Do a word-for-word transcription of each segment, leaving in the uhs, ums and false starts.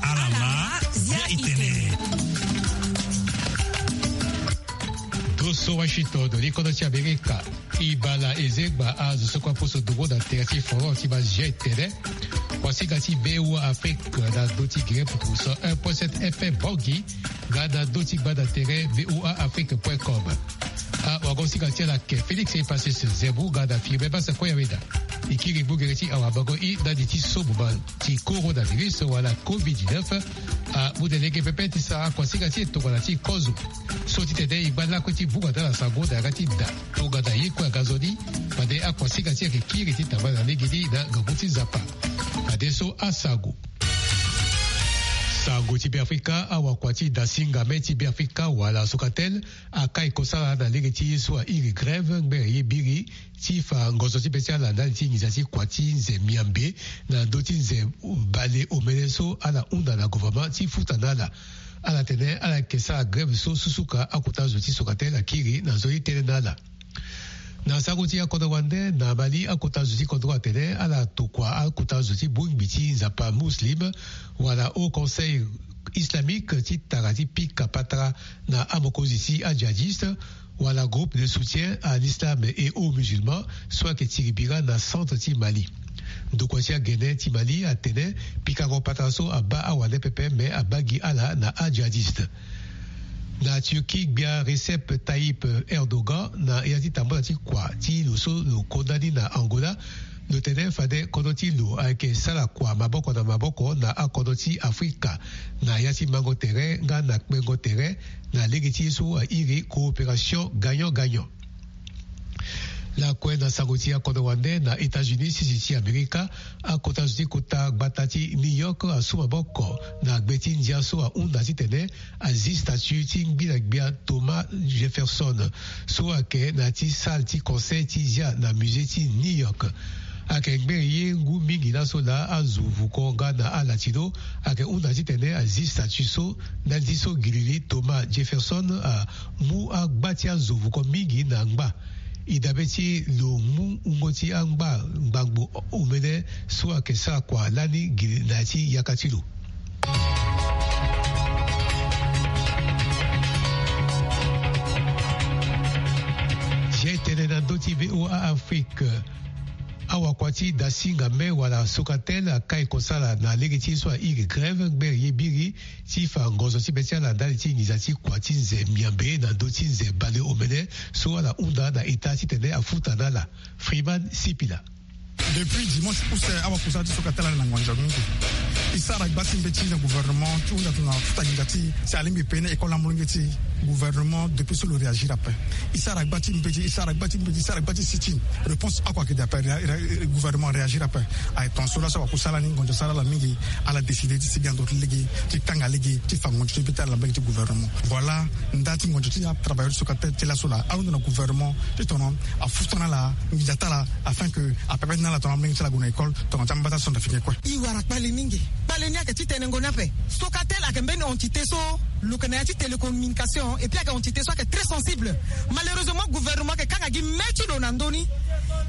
Alama zia itene. Doso Washington, likodo ti Amerika. Ibala ezegba azo so kue aposo dongo na tere ti forum ti bazia etene. Kuasinga ti VOA Afrique na ndö ti gere puku cent un point sept F M Bangui, nga na ndö ti gbanda tere VOA Afrique point com. Awagosinga ti ala ake Félix Epasis Zembu nga na Firmin Basa Koyaweda. E kiri ngu gere ti awabango i ndani ti so mo ma ti coronavirus wala covid dix-neuf. Amu na lege pepe ti sara akuasinga ti e tongana ti kozo so titene e ngba lakue ti vunga na ala sango na yanga ti da tongana ye kue aga nzoni. Fade akuasinga ti e ayeke kiri ti tambala na legeni na ngangu ti Nzapa. Fadeso asango. Sango ti Beafrika, awakua ti dasinga me ti Beafrika wala Socatel akai kosala na lege ti ye so airi grève ngbere ye biri ti fa ngonzo ti be ti ala ndali ti nginza ti kua ti nze miambe na ndö ti nze bale omene so ala hunda na gouvernement ti futa na ala. Ala tene ala yeke sara grève so susuka akota zo ti Socatel akiri na nzoni tënë na ala. Na sango ti akodro wande na Mali, akota zo ti kodro atene ala tokua akota zo ti bongbi ti Nzapa muslim wala Haut Conseil islamique ti tara ti pika patara na amokonzi ti ajihadiste wala groupe de soutien à l'islam et aux musulmans so ayeke tiri bira na centre ti Mali. Ndokua ti agene ti Mali atene pikango patara so abaa awande pepe me abaa gi ala na ajihadiste. Na Turquie, gbia Recep Tayyip Erdogan na ya ti tambula ti kua ti lo so lo konda ni na Angola. Lo tene fade kodro ti lo ayeke sara kua maboko na maboko na akodro ti Afrika na ya ti mango tere nga na kpengo tere na lege ti ye so airi coopération gagnant-gagnant. Lakue na sango ti akodro wande na États-Unis, sese ti Amerika, akota zo ti kota gbata ti New York asu maboko na gbe ti ndia so ahunda titene azi statue ti ngbila gbia Thomas Jefferson so ayeke na ya ti salle ti conseil ti zia na musée ti New York. Ayeke ngbere ye ngu mingi laso laa azo vuko nga na ala ti lo ayeke hunda titene azi statue so ndali ti so gilili Thomas Jefferson amu agba ti azo vuko mingi na ngba. E dabe ti lo mu wungo ti angba ngbangbo omene so ayeke sara kua lani gi na ya ti yaka ti lo. Zia e tene na ndö ti VOA Afrique. Awakua ti dasinga me wala Socatel akai kosala na lege ti ye so airi grève ngbere ye biri ti fa ngonzo ti be ti ala ndali ti nginza ti kua ti nze miambe na ndö ti nze bale omene so ala hunda na eta titene afuta na ala. Freeman Sipila. Depuis dimanche use, awakua ti Socatel ala na ngonzo mingi. E sara gba ti mbeti na gouvernement ti hunda tongana afuta nginza ti e, si alingbi pene école na molenge ti gouvernement depuis so lo réagir ape. E sara gba ti mbeti, e sara gba ti mbeti, e sara gba ti sit-in. Réponse oko ayeke daa ape, ré-, ré-, gouvernement réagir ape. Aye tongaso laso awakua sara ni ngonzo sara ala mingi, ala décider ti sigi na ndo ti lege, ti kanga lege, ti fa ngonzo ti be ti ala na mbage ti gouvernement. Voilà nda ti ngonzo ti atravailleur ti Socatel ti laso laa, ahunda na gouvernement ti tongana afuta na ala nginza ti ala, afin que apepe ti na ala tongana amolenge ti ala ague na école tongana ti ambata centrafricain kue. E wara kpale mingi. Kpale ni ayeke ti tene ngoni ape. Socatel ayeke mbeni entité so lo yeke na ya ti télécommunication, et puis ayeke entité so ayeke très sensible. Malheureusement, gouvernement ayeke kanga gi me ti lo na ndö ni.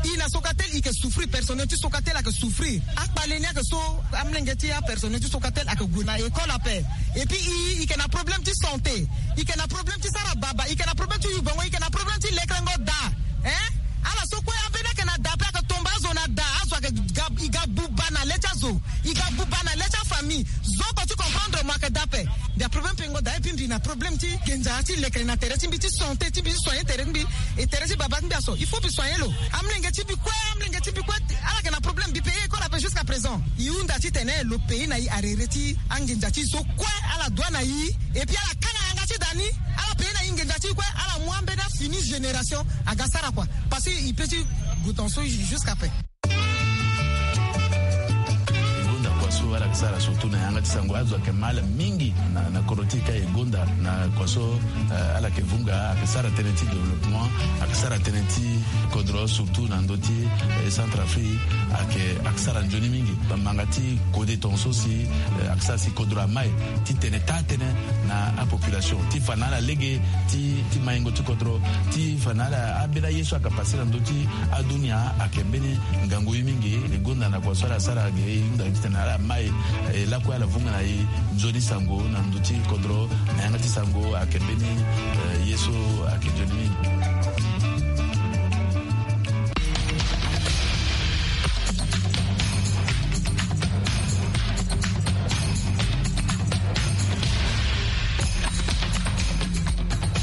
E na Socatel e yeke souffrir, personnel ti Socatel ayeke souffrir. Akpale ni ayeke so amolenge ti apersonnel ti Socatel ayeke gue na école ape. Et puis e, e yeke na problème ti santé, e yeke na problème ti sara baba, e yeke na problème ti yu bango, e yeke na problème ti lekerengo da. Hein? Ala so kue ambeni ayeke na da ape, ayeke tomba azo na da, azo ayeke ga, e ga buba na le ti azo, e ga buba na le ti afamille. Zo oko ti comprendre mo ayeke da ape. Mbi a problème pengo da, et puis mbi na problème ti nginza ti lekere na tere ti mbi, ti santé ti mbi, ti soigner tere ti mbi, e tere ti baba ti mbi aso, il faut mbi soigner lo. Amolenge ti mbi kue, amolenge ti mbi kue, ala yeke na problème. Mbi payer école ape jusqu'à présent. E hunda titene lo payer na e arrerer ti anginza ti zo kue ala doit na e. Et puis ala kanga yanga ti da ni, ala payer na e nginza ti e kue, ala mu ambeni afini génération aga sara kua. Parce que e peut ti gue tongaso jusqu'à pe. E gonda kua so ala yeke sara surtout na yanga ti sango, azo ayeke mal mingi na, na kodro ti e ka e gonda na kua so, eh, ala yeke vunga, ayeke sara tënë ti développement, ayeke sara tënë ti kodro surtout na ndö ti, eh, Centrafrique, ayeke, ayeke sara nzoni mingi. Bamanga ti kode tongaso si, eh, ayeke sara si kodro amai ti tene taa tënë na apopulation ti fa na ala lege ti, ti maingo ti kodro, ti fa na ala ambeni aye so ayeke pase na ndö ti adunia. Ayeke mbeni ngangu ye mingi. E gonda na kua so ala sara ge, e hunda titene ala ma Aye, eh, lakue ala vunga na e nzoni sango na ndö ti kodro, na yanga ti sango ayeke mbeni, eh, ye so ayeke nzoni mingi.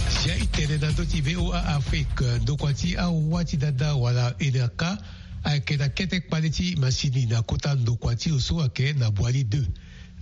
Si aye tene na ndö ti V O A Afrique, ndokua ti awa ti dada wala E N R K ayeke na kete kpale ti masini na kota ndokua ti lo so ayeke na Boali deux.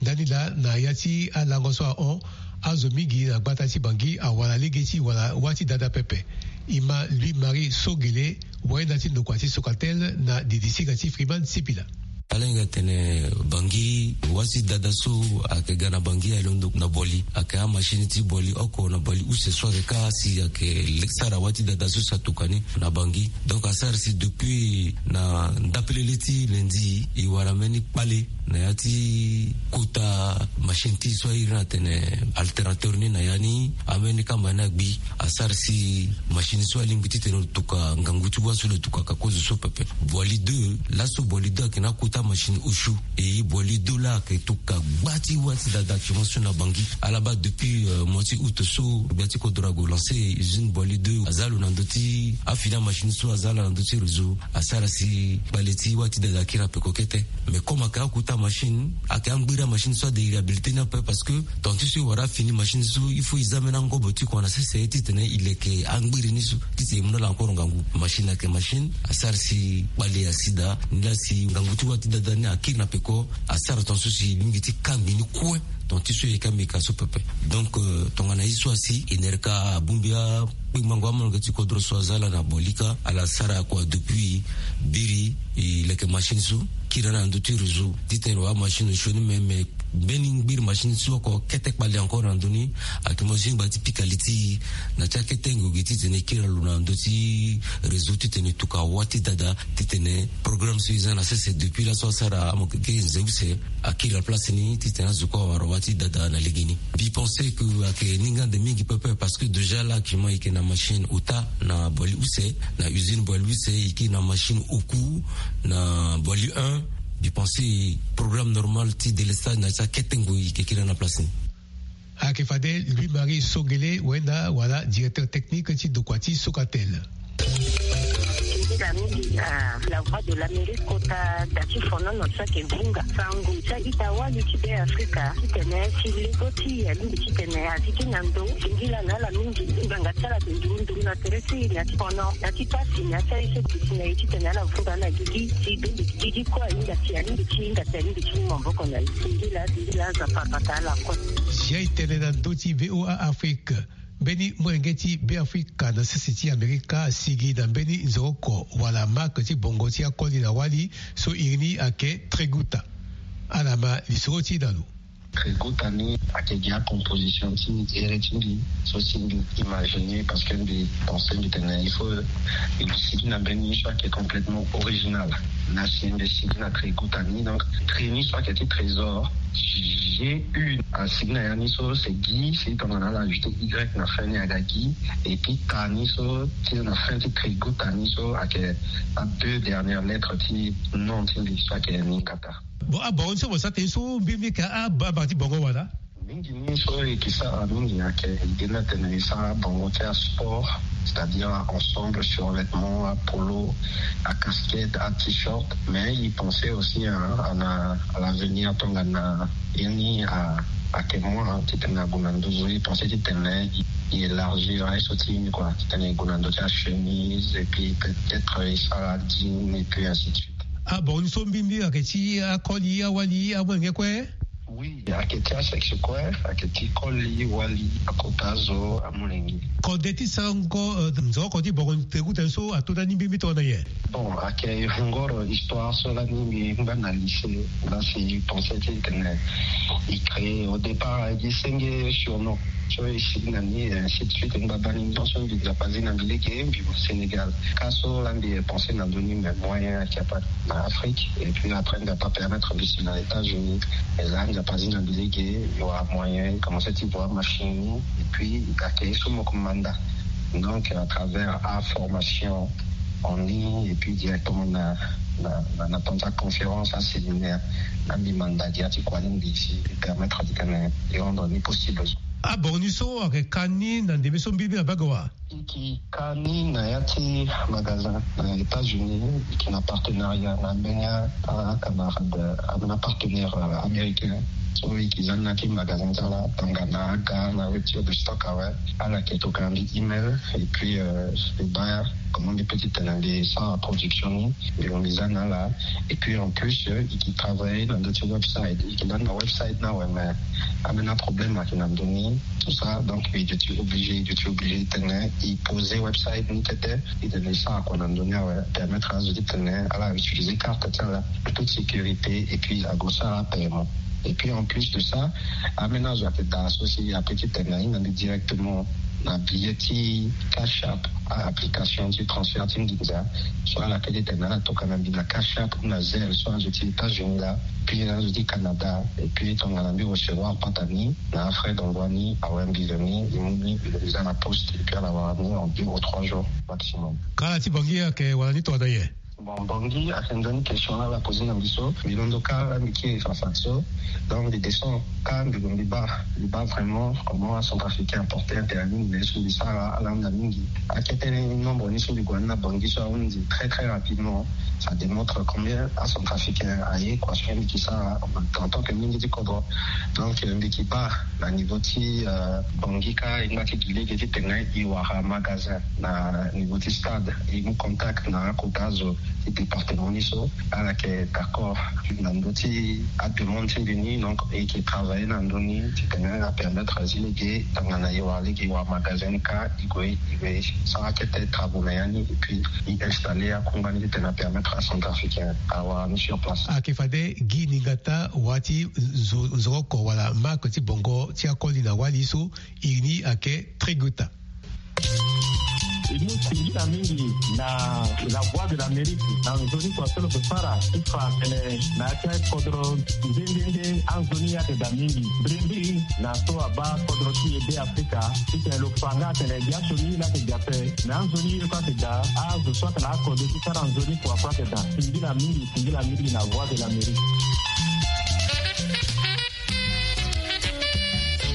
Ndani laa na ya ti alango so ahon, azo mingi na gbata ti Bangui awara lege ti wara wâ ti dada pepe. E ma Louis Marie Sogele, wayenda ti ndokua ti Socatel na didisinga ti Freeman Sipila. Ala hinga tene Bangui, wâ ti dada so ayeke ga na Bangui aye londo na Boali, ayeke amachine ti Boali oko na Boali use so ayeke kâ si ayeke sara wâ ti dada so si atuka ni na Bangui. Donc asara si depuis na ndapelele ti lundi e wara mbeni kpale na ya ti kota machine ti so a iri ni atene alternateur ni na ya ni, ambeni kamba ni agbi. Asara si machine so alingbi titene lo tuka ngangu ti wâ so lo tukaka kozo so pepe. Boali deux, laso Boali deux ayeke na akota machine osio. E Boali deux laa ayeke tuka gba ti wâ ti dada actuellement so na Bangui. Ala baa depuis, euh, mois ti août so gbia ti kodro ague lancer usine Boali deux, aza lo na ndö ti afini amachine so aza ala na ndö ti réseau. Asara si kpale ti wâ ti dada akiri na peko kete. Mais comme ayeke akota machine, ayeke angbiri amachine so ade e réhabilité ni ape, parce que tant ti so e wara afini machine so il faut e za mbeni angobo ti kua na sese titene e leke angbiri ni so titene e mu na ala encore ngangu. Machine ayeke machine, asara si kpale asi daa ni laa si ngangu ti wâ ti dada ni akiri na peko. Asara tant so si e lingbi ti kangbi ni kue tant ti so e yeke ambeka so pepe. Donc, euh, tongana ye so asi E N R K abongbi akpengbango amolenge ti kodro so aza ala na Boali kâ, ala sara kua depuis biri e leke machine so kiri na ndö ti réseau titene lo wara machine osio ni, me me mbeni ngbiri machine so oko kete kpale encore na ndö ni. Ayeke mo zingba ti pika li ti e na ti akete ngoi gi titene e kiri na lo na ndö ti réseau titene e tuka wâ ti dada, titene programme so e za na sese depuis laso asara amo keke nze use akiri na place ni titene azo kue awara wâ ti dada na legeni. Mbi pense que ayeke ningbi ande mingi pepe, parce que déjà là actuellement e yeke na machine ota na Boali use, na usine Boali use, e yeke na machine oku na Boali un. Mbi pense programme normal ti délestage na ti akete ngoi e yeke kiri na place ni. Ayeke fade Louis Marie Sogele, wenda wala directeur technique ti ndokua ti Socatel. Singila mingi na La Voix de l'Amérique kota da ti fonono so ayeke vunga sango ti a-ita wali ti Be Afrika titene si lego ti e alingbi titene azi ti na ndo. Singila na ala mingi ngbanga ti ala ayeke nduru nduru na tere ti e na ti fono na ti pasi na ti aye so e duti na e titene ala vunga na gigi si be gigi kue ahinga si alingbi ti hinga si alingbi ti mu maboko na e. Singila, singila, Nzapa abata ala kue. Si aye tene na ndö ti V O A Afrique, mbeni molenge ti Be Afrika na sese ti Amerika asigi na mbeni nzoroko wala marque ti bongo ti akoli na wali so iri ni ayeke Treguta. Ala ma lisoro ti e na lo. Treguta ni ayeke gi acomposition ti here ti mbi so si mbi imaginer, parce que mbi pense mbi tene il faut mbi sigi na mbeni so ayeke complètement original. Na si mbi sigi na Treguta ni, donc tre ni so ayeke ti trésor, G U, asigi na ya ni so c'est Guy, si tongana ala ajouter Y na fin ni aga Guy, et puis ta ni so ti na fin ti Treguta ni so ayeke a deux dernières lettres ti nom ti mbi so ayeke Ningata. Bon, abongo ni so mo sa tene so mbirimbiri ayeke ababa ti bongo wala? Mingi ni so e yeke sara mingi ayeke ide ni atene e sara bongo ti asport, c'est-à-dire ensemble, survêtement, apolo, acasquette, a-t-shirt. Mais e pense aussi à, à, à l'avenir tongana ye ni a, ayeke moins titene ague na nduzu. E pense titene e élargir aye so ti e ni kua, titene e gue na ndö ti achemise et puis peut-être e sara jean et puis ainsi de suite. Abongo ni so mbirimbiri ayeke ti akoli, awali, amolenge kue? Oui, ayeke ti asexe kue, ayeke ti koli, wali, akota zo, amolenge. Kode ti sarango, euh, nzoroko ti bongo Treguta so ato ndani mbirimbiri tongana nyen? Bon, ayeke ngoro histoire so lani mbi ngba na lycée, la si pensé titene e créer au départ, e gi senge surnom so e sigi na ni, ainsi de suite. Ngbagba ni, donc so mbi Nzapa azi na mbi lege, mbi Sénégal. Ka so la mbi pensé na ndö ni, mais moyen ayeke pas na Afrique. Et puis après, Nzapa permettre mbi si na États-Unis. Et là, Nzapa azi na mbi lege, e wara moyen, e commencé ti voir machine. Et puis, ayeke ye so mo yeke manda. Donc, à travers a formation en ligne, et puis directement na Na na na tonza conférence, aséminaire, na mbi manda dia ti kua ni mbi si permettre ti tene e rendre ni possible. Abongo ni so ayeke ka ni na ndembe so mbirimbiri abage wa? E ke ka ni na ya ti magasin na États-Unis, e ke na partenariat na mbeni acamarade, ambeni apartenaire américain. So e ke za ni na ti magasin ti ala tongana aga na voiture de stock awe. Ala yeke tokana mbi email, et puis e baa comment mbi pe ti tene mbi sara production ni. Mbi lo mbi za na ala. Et puis en plus e ke travailler na ndö ti website, e ke za ni na website ni awe, mais ambeni aproblème ayeke na ndö ni, tout ça. Donc e duti obligé, e duti obligé titene e poser website ni tete, titene e sara kua na ndö ni awe, permettre azo titene ala utiliser carte ti ala en toute sécurité, et puis ague sara paiement. Et puis en plus de ça, ambeni azo ayeke daa so si ape titene ahinga mbi directement na billet ti Cash App, application ti transfert ti nginza. So ala pe titene ala tokana mbi na Cash App ou na Zelle, so azo ti États-Unis laa, puis azo ti Canada. Et puis tongana mbi recevoir pata ni, na afrais d'envoi ni awe, mbi lo ni e mu ni, mbi lo mbi za na poste, et puis ala wara ni en deux ou trois jours maximum. Kala ti Bangui ayeke wara ni tongana nyen? Bon, Bangui ayeke nzoni question la ala poser na mbi so. Mbi londo kâ la, mbi kiri fa fa so. Donc mbi descend kâ, mbi lo mbi baa, mbi baa vraiment comment acentrafricain aporter intérêt mingi na ye so mbi sara, ala hunda mingi. Akete ni nombre ni so mbi gue na ni na Bangui so ahunda très très rapidement. Ça démontre combien acentrafricain aye kua so mbi ke sara en tant que mingi ti kodro. Donc mbi ke baa na niveau ti Bangui kâ, e ngba ti gi lege titene e wara magasin na niveau ti stade, e mu contact na akota azo ti département ni so. Ala yeke d'accord na ndö ti ademande ti mbi ni. Donc e ke travailler na ndö ni titene apermettre azi lege tongana e wara lege e wara magasin ni kâ, e gue e gue e sara kete travaux na ya ni, et puis e installer akungba ni titene apermettre acentrafricain awara ni sur place. Ayeke fade gi ningata wa ti zo- zoroko wala marque ti bongo ti akoli na wali so iri ni ayeke Triguta. E mu singila mingi na La Voix de l'Amérique na nzoni kua so lo yeke sara ti fa tene na ya ti akodro nde nde nde anzoni ayeke daa mingi. Mbirimbiri na so abaa kodro ti e Be Afrika titene lo fa nga atene biasioni la ayeke daa ape, me anzoni ye kue ayeke daa. Azo so ayeke na akodro ti sara nzoni kua kue ayeke daa. Singila mingi, singila mingi na Voix de l'Amérique.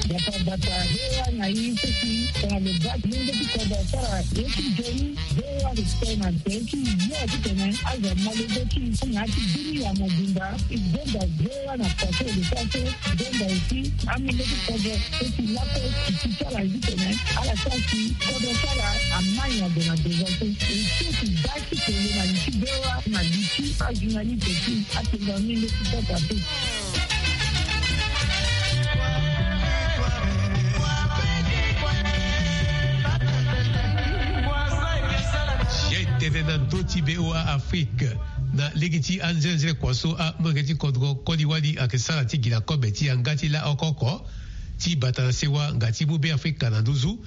Bata bata, V O A na ye so si tongana lo baa ti lenge ti kodro asara ye ti nzoni, V O A ayeke tene na tere ti yo titene azo amolenge ti na ya ti bini ya mobimba. E zonza V O A na kua so e lo sara so, e zonza aussi amolenge ti kodro so si lakue e ti ti ala ye titene ala sara si kodro ti ala amai na gue na devant so. E so e ti baa ti tene na li ti V O A na li ti ajournaliste ti atenga amolenge ti kodro ape. Ye tene na ndö ti V O A Afrique, na lege ti anzenze kua so amolenge ti kodro koli wali ayeke sara ti gi na kobe ti yanga ti la oko oko ti bata na sewa nga ti mu Be Afrika na nduzu.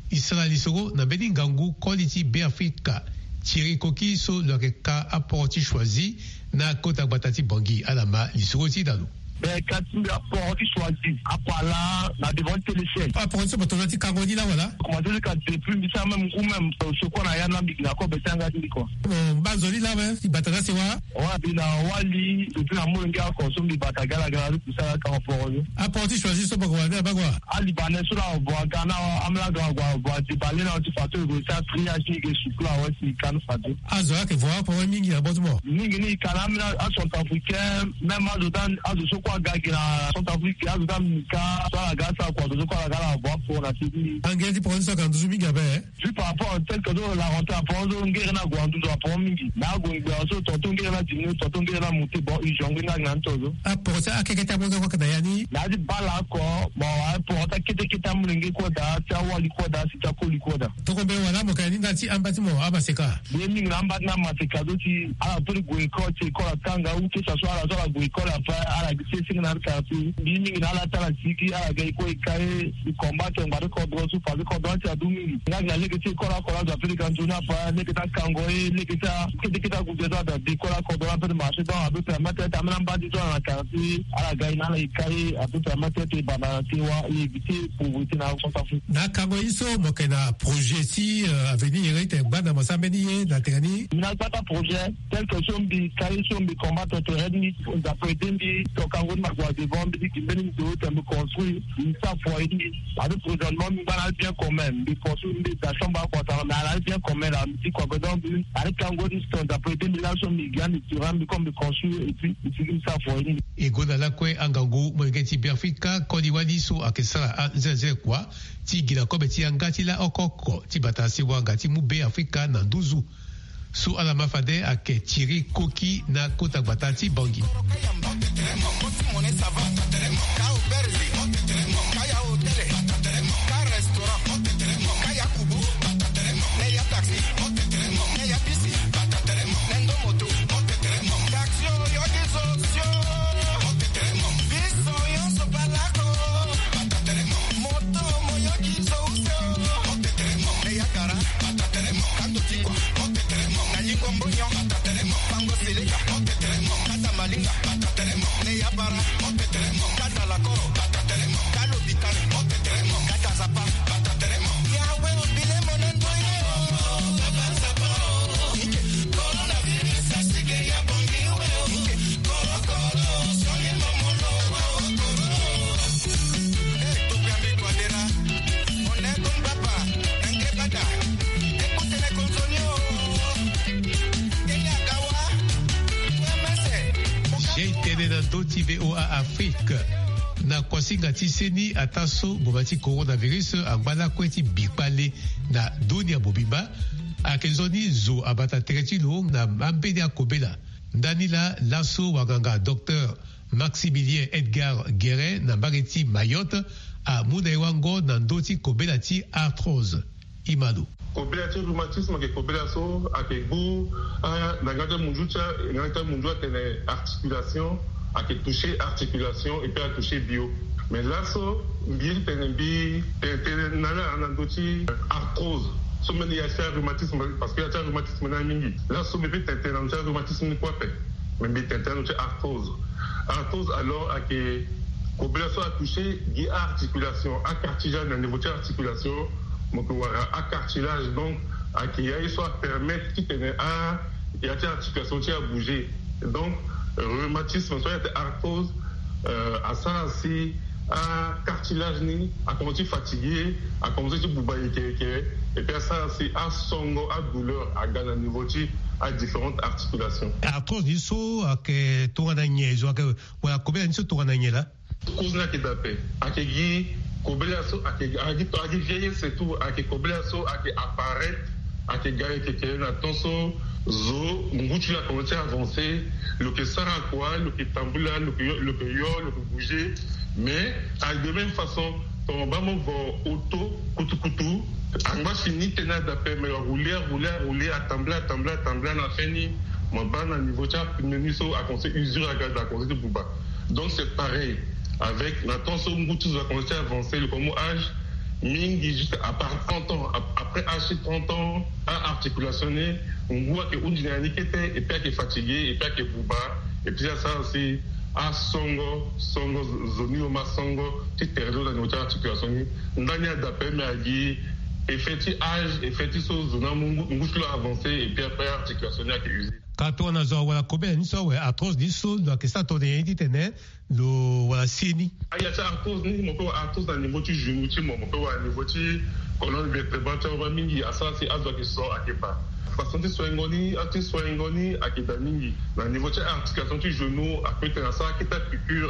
E sara lisoro na mbeni ngangu koli ti Be Afrika, Thierry Koki so lo yeke ka aporo ti Choisy na kota gbata ti Bangui. Ala ma lisoro ti da lo. Be ka ti mbi aporo ti Choisy, apala na devant ti Télécel. Aporo ti so mo tongana ti kango ni la wala? Commencé ti ka depuis mbi sara même ou même, euh, secours na ya na mbi gi na kobe ti yanga ti mbi kua. Mo baa nzoni la awe ti bata na sewa? Wa mbi na wali, depuis na molenge oko so mbi bata gala gala ti kusala ka aporo ni. Aporo ti Choisy so boko wala ni abaa kua? Alibanais so la avo aga na amolenge avo avo adebale na ti fa so e gue ti atriage ni e ke suku la awe si e ka ni fade. Azo ayeke vo aporo mingi na bâ ti mo? Mingi ni e ka na amolenge acentrafricain, même azo ti azo so kue aga gi na Centrafrique, azo ti amika so ala ga asara kua, azo so kue ala ga ala avo aporo na ti ni. Angere ti poro ni so ayeke na nduzu mingi ape, eh? Vu par rapport au fait que so la rentrée aporo so ngere ni ague na nduzu aporo mingi. Na ague ngbe so tonton ngere ni adiminu, tonton ngere ni amonte, bon, e jongle ni ake na ni to so. Aporo ti akeke ti amolenge kue ayeke na ya ni? Na ya ti bale oko, bon, aporo ti akete kete amolenge kue daa, ti awali kue daa, si ti akoli kue daa. Toko mbeni wala mo yeke na ni ndali ti amba ti mo amaseka? Mbi ye mingi na amba ti ni amaseka so si ala peut ti gue école, ti école atanga ou que ça soit ala so ala gue école après ala gi Ti e senge na ala kara ti e. Mbi mingi na ala ti ala sigi ala ga e kue e ka e. E combattre ngbari kodro so fade kodro ti adu mingi. Nga gi na lege ti e koro akoro azo ape lege anzoni apa lege ti akango e lege ti akete kete agude so ada de koro akodro ape ti marché donc ape permettre ti ambeni ambandi so ala na kara ti e ala ga e na ala e ka e ape permettre ti e banda na ti e wa e éviter pauvreté na Centrafrique. Na akango ye so mo yeke na projet ti avenir ye ti tene gbanda mo sara mbeni ye na tene ni. Mbi na gbata projet tel que so mbi ka ye so mbi combattre tere ni. Nzapa ede mbi toka ngoni na gua devant mbi ti gi mbeni ndo tene mbi construire mbi sara foyer ni. Ade présentement mbi ngba na bien commun mbi construire mbi da chambre akua sara mais ala bien commun la mbi ti kua besoin mbi ade kango ni sto nzapa ede mbi laso mbi gi ande tirant mbi comme mbi construire et puis mbi sigi mbi sara foyer ni. E gue na lakue angangu molenge ti Beafrika koli wali so ayeke sara anzenze kua ti gi na kobe ti yanga ti la oko oko ti bata sewa nga ti mu Beafrika na nduzu. So ala ma fade ayeke tiri koki na kota gbata ti Bangui. Jei tënë na ndö ti V O A Afrique. Na kuasinga ti seni ataa so ngboma ti coronavirus angba lakue ti bi kpale na dunia mobimba. Ayeke nzoni zo abata tere ti lo na ambeni akobela. Ndani laa laso wanganga docteur Maximilien Edgar Guérin na mbage ti Mayotte amu na e wango na ndö ti kobela ti arthrose. Imano. Kobela ti rhumatisme ayeke kobela so ayeke gbu na nga ti amunzu ti nga ti amunzu atene articulation ayeke toucher articulation et puis atoucher bio. Mais laso mbi ye ti tene mbi tene tënë na ala na ndö ti arthrose so mbeni ya ti arhumatisme parce que ya ti arhumatisme ni amingi. Laso mbi peut tene tënë na ndö ti arhumatisme ni kue ape. Mais mbi tene tënë na ndö ti arthrose. Arthrose alors ayeke kobela so atoucher gi articulation acartilage na niveau ti articulation. Mo yeke wara acartilage donc ayeke ya ye so apermettre titene a ya ti articulation ti abouger. Donc rhumatisme so ayeke arthrose asara si acartilage ni akomanse ti fatiguer, akomanse ti buba yeke yeke. Et puis asara si asongo adouleur aga na niveau ti adifférentes articulations. Arthrose ni so ayeke tongana nyen zo ayeke wala kobela ni so tongana nyen laa? Cause ni ayeke daa ape. Ayeke gi kobela so ayeke gi vieillesse et tout ayeke kobela so ayeke apparaître. Ayeke ga yeke kele na temps so zo ngu ti lo akomanse ti avancer. Lo yeke sara kua lo yeke tambula lo yeke yo lo yeke yo lo yeke bouger. Mais ayeke de même façon tongana mo baa mo vo auto kutukutu angba si ni tënë daa ape mais arouler arouler arouler atambula atambula atambula na fin ni mo baa na niveau ti apneu ni so akomanse usure aga daa akomanse ti buba. Donc c'est pareil avec na temps so ngu ti zo akomanse ti avancer lo komo âge mingi juste à part trente ans après âge ti trente ans. Aarticulation ni ngu ayeke hunzi na ya ni kete et puis ayeke fatiguer et puis ayeke buba. Et puis asara si asongo songo zo ni lo ma songo ti tere ti lo na niveau ti articulation ni. Ndani ada ape mais agi effet ti âge effet ti so zo ni amu ngu ti lo avancer et puis après articulation ni ayeke usure. Ka tongana zo awara kobela ni so awe arthrose ni so lo yeke sara tongana nyen titene lo wara si ni? Aya ti arthrose ni mo peut wara arthrose na niveau ti genou ti mo mo peut wara niveau ti colonne vertébrale ti aroba mingi asara si azo ayeke so ayeke baa. Façon ti soingo ni ati soingo ni ayeke daa mingi na niveau ti articulation ti genou apeut tene asara akete apiqure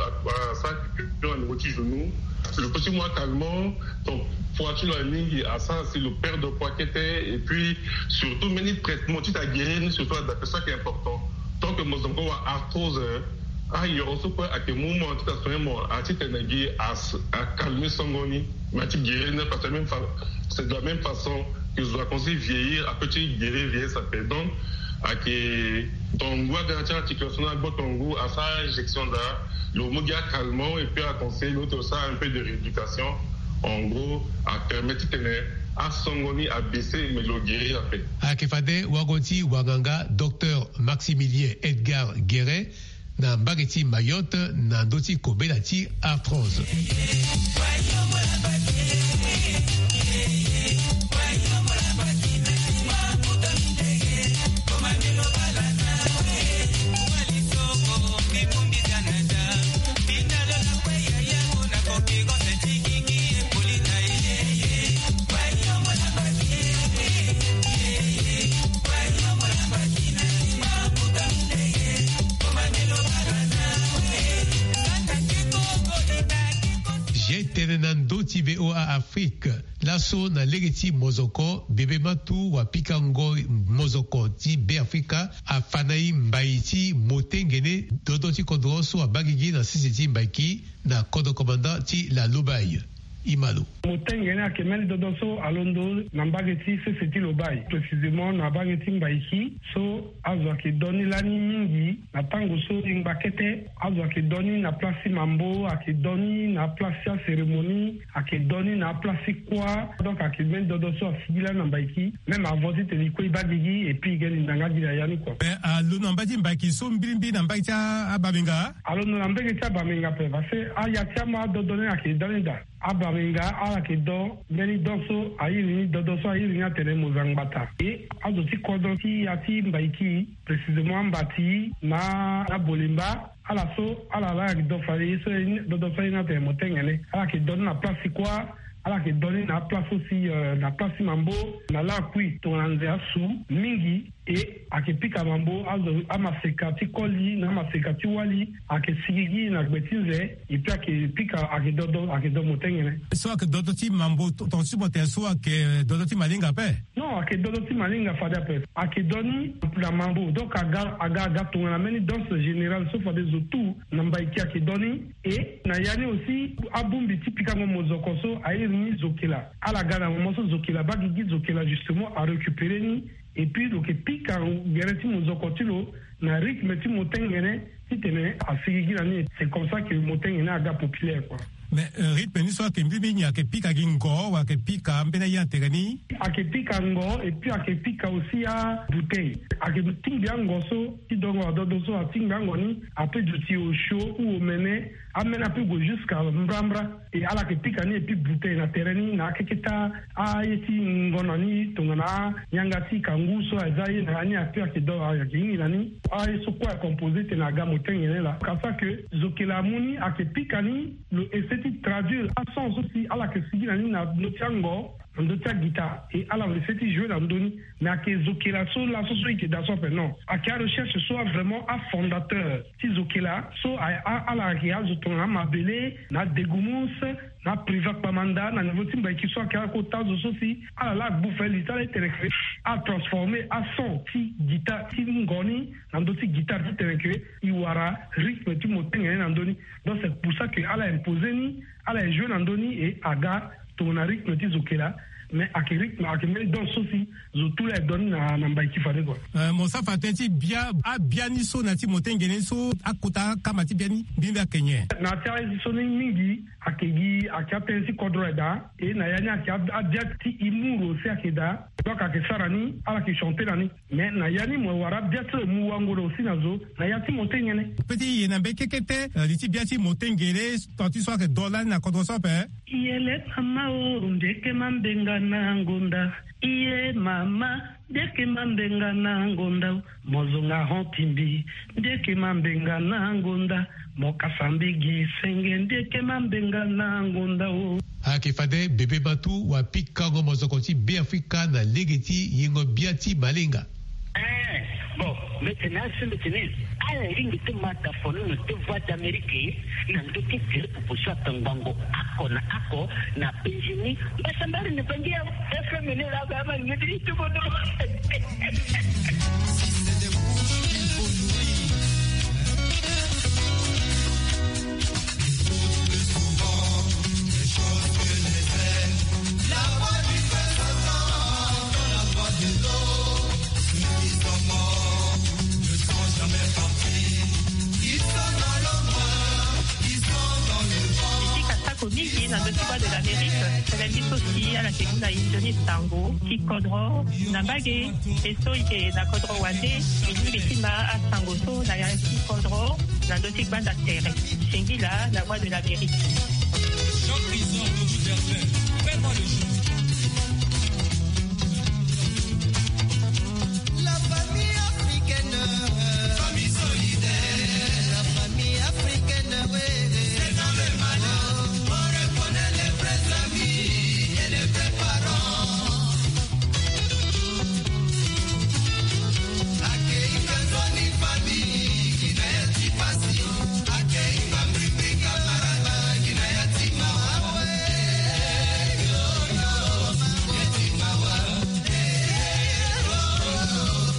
asara apiqure na niveau ti genou. Lo peut ti mu acalmant. Donc poids ti lo aye mingi asara si lo perdre poids kete. Et puis surtout mbeni traitement ti ta guérir ni surtout ada ape so ayeke important. Tant que mo zo mo kue wara arthrose ayoro so kue ayeke mu mo ti ta soin mo ati tene gi acalmer songo ni. Mais ati guérir ni parce que même fa c'est de la même façon que zo akomanse ti vieillir apeut ti guérir vieillesse ape. Donc ayeke tongo ngu aga na ti articulation ni agbo tongo ngu asara injection daa. Lo mu gi acalmant et puis aconseille lo ti lo sara un peu de rééducation. En gros, apermet titene asongo ni abese, mais lo guérir ape. Ayeke fade wago ti wanganga docteur Maximilien Edgar Guérin na mbage ti Mayotte na ndö ti kobela ti arthrose. Ge tene na ndö ti V O A Afrique. Laso na lege ti mozoko, bebe matu wa pikango mozoko ti Beafrika afa na e mbai ti motengene dodo ti kodro so abaa gigi na sese ti Mbaiki na kodro komanda ti la Lobaye. Imalo. Motengene ayeke mbeni dodo so alondo na mbage ti sese ti Lobaye, précisément na mbage ti Mbaiki, so azo ayeke do ni lani mingi. Na tango so e ngba kete, azo ayeke do ni na place ti mambo, ayeke do ni na place ti acérémonie, ayeke do ni na place ti kuâ. Donc ayeke mbeni dodo so asigi lani na Mbaiki. Même avant titene e kue e baa gigi et puis e ge linganga gi na ya ni kua. Mais alondo na mbage ti Mbaiki so mbirimbiri na mbage ti a- abamenga? Alondo na mbage ti abamenga ape parce que aya ti ama adodo ni ayeke da ni daa. Abamenga ala yeke do mbeni do so a iri ni dodo so a iri ni atene Mozangbata. E azo ti kodro ti ya ti Mbaiki, précisément Ambati na Abolemba, ala so ala laa ayeke do fade ye so dodo so a iri ni atene Motengene. Ala yeke do ni na place ti kuâ, ala yeke do ni na aplace so si, euh, na place ti mambo na lakui tongana nze asu mingi. E ayeke pika mambo, azo amaseka ti koli na amaseka ti wali ayeke sigi gi na gbe ti nze. Et puis ayeke pika, ayeke dodo, ayeke do Motengene. So ayeke dodo ti mambo to- tonga ti mo tene so ayeke dodo ti malinga ape? Non, ayeke dodo ti malinga fade ape. Ayeke do ni na mambo, donc aga aga aga tongana mbeni danse générale so fade zo tout na Mbaiki ayeke do ni. E na ya ni aussi abongbi ti pikango mozoko so a iri ni zokela. Ala ga na moment so zokela abaa gigi, zokela justement arécupéré ni. Et puis lo yeke pika gere ti mozoko ti lo na rythme ti Motengene titene asigi gi na ni. C'est comme ça que Motengene aga populaire quoi. Mais, euh, rythme ni so ayeke mbirimbiri nyen? Ayeke pika gi ngo wala ayeke pika ambeni aye na tere ni? Ayeke pika ngo et puis ayeke pika aussi abouteille. Ayeke tingbi ango so ti dongo adodo so atingbi ango ni ape duti osio ou omene, ameni ape gue jusqu'à mbrambra. E ala yeke pika ni et puis bouteille na tere ni na akeke ti aye ti ngo na ni tongana anyanga ti kangu so aza ye na ya ni ape ayeke do ayeke hingi na ni. Aye so kue acomposé tene aga Motengene laa. Ka ça que zokela amu ni ayeke pika ni, lo essaie ti traduire asens so si ala yeke sigi na ni na ndö ti ango, na ndö ti agita, e ala essaie ti jouer na ndö ni. Mais ayeke zokela so laso so e yeke daa so ape non. Ayeke arecherche so avrément afondateur ti zokela so a- a- ala yeke azo tongana amabele na adegumus na apriva kpamanda na niveau ti Mbaiki so ayeke akota azo so si ala laa agbu fade li ti ala titene ke atransformer ason ti guitare ti ngo ni na ndö ti guitare titene ke e wara rythme ti Motengene na ndö ni. Donc c'est pour ça que ala imposer ni, ala e jouer na ndö ni et aga tongana rythme ti zokela. Mais ayeke rythme, ayeke mbeni danse so si zo tout laa e do ni na, na Mbaiki fade kua. Euh, mo sara fa tënë ti bia, abia ni so na ya ti Motengene so akota akama ti bia ni mbirimbiri ayeke nyen? Na ya ti aye so ni mingi ayeke gi, ayeke atënë ti kodro aye daa. E na ya ni ayeke ab- abia ti humour aussi ayeke daa. Donc ayeke sara ni, ala yeke chanter na ni. Mais na ya ni mo wara abia ti lo e mu wango na aussi na zo na ya ti Motengene. Pe ti ye na mbeni kekete, euh, li ti bia ti Motengene, tant ti so ayeke do lani na kodro so ape. Iye le mama o, ndeke mambenga na ngonda. Iye mama, ndeke mambenga na ngonda o. Mo zonga hon timbi, ndeke mambenga na ngonda. Mo kasa mbigi senge, ndeke mambenga na ngonda o. Ayeke fade bebe matu wa pikango mozoko ti Beafrika na lege ti yengo bia ti malinga. Eh, bon, mbi tene asi mbi tene ala ringi ti ma dafono na ti Voix d'Amérique na ndö ti tele popo so atongbango ako na ako na penzi ni. Mbasambari ni bangi ya F M ni la ba ma ni ti tubo no. Na ndö ti Voix de l'Amérique, tënë ti so si ala yeke mu na e nzoni sango ti kodro na mbage. E so e yeke na kodro wande, e lingbi ti ma asango so na ya ti kodro na ndö ti gbanda tere. Singila na Voix de l'Amérique. Jean Chrysor de Boutervin, fais-moi le jeu. La famille africaine, famille solidaire, la famille africaine, oui. C'est dans le malheur qu'on reconnaît les vrais amis et les vrais parents.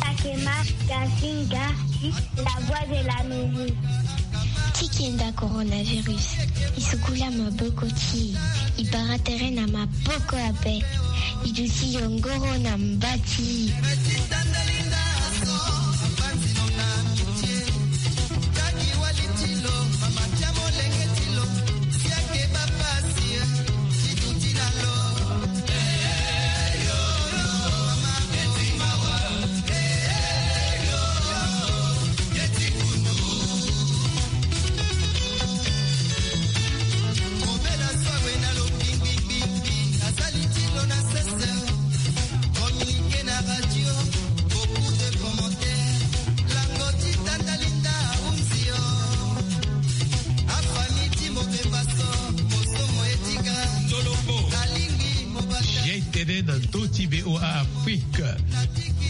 Akema Gasinga, la voix de l'Amérique. Ti kenda coronavirus, e sukula maboko ti e, e bara tere na maboko ape, e duti yongoro na mba ti e. Ye tënë na ndö ti V O A Afrique.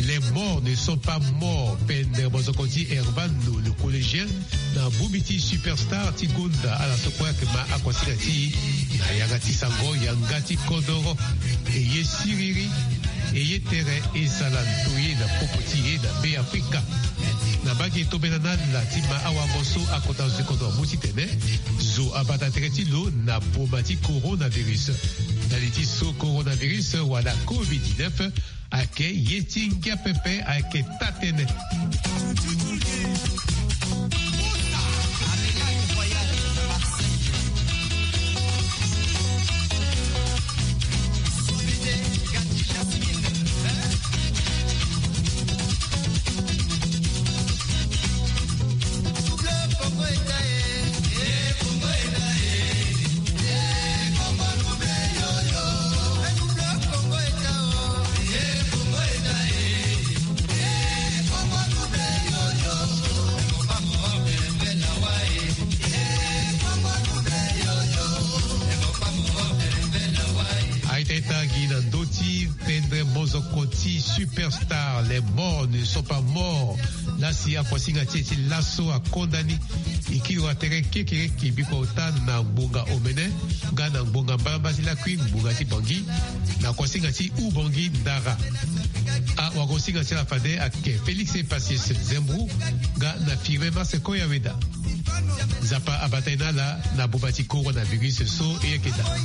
Les morts ne sont pas morts. Pendere mozoko ti Hermano, le collégien, na bongbi ti Superstar ti gonda ala so kue ayeke ma akuasinga ti e na yanga ti sango yanga ti kodoro. E ye siriri, e ye tere, e sala ndoye na popo ti e na Be Afrika. Na mbage e tombela na ala ti ma awango so akota zo ti kodro amu titene zo abata tere ti lo na boma ti coronavirus. Na li ti so coronavirus wala covid dix-neuf ayeke ye ti ngia pepe, ayeke taa-tënë. Aita ita gi na ndö ti pendere mozoko ti Superstar, les morts ne sont pas morts. Laa si akuasinga ti e ti laso akonda ni, e kiri wa tere kekereke biko ota na ngbonga omene nga na ngbonga mbalambala ti lakui ngbonga ti Bangui, na kuasinga ti Oubangui Ndara. Awagosinga ti ala fade ayeke Félix Epacius Zembro nga na Firmin Marseco Yaweda. Nzapa abata e na ala na boma ti coronavirus so e yeke daa.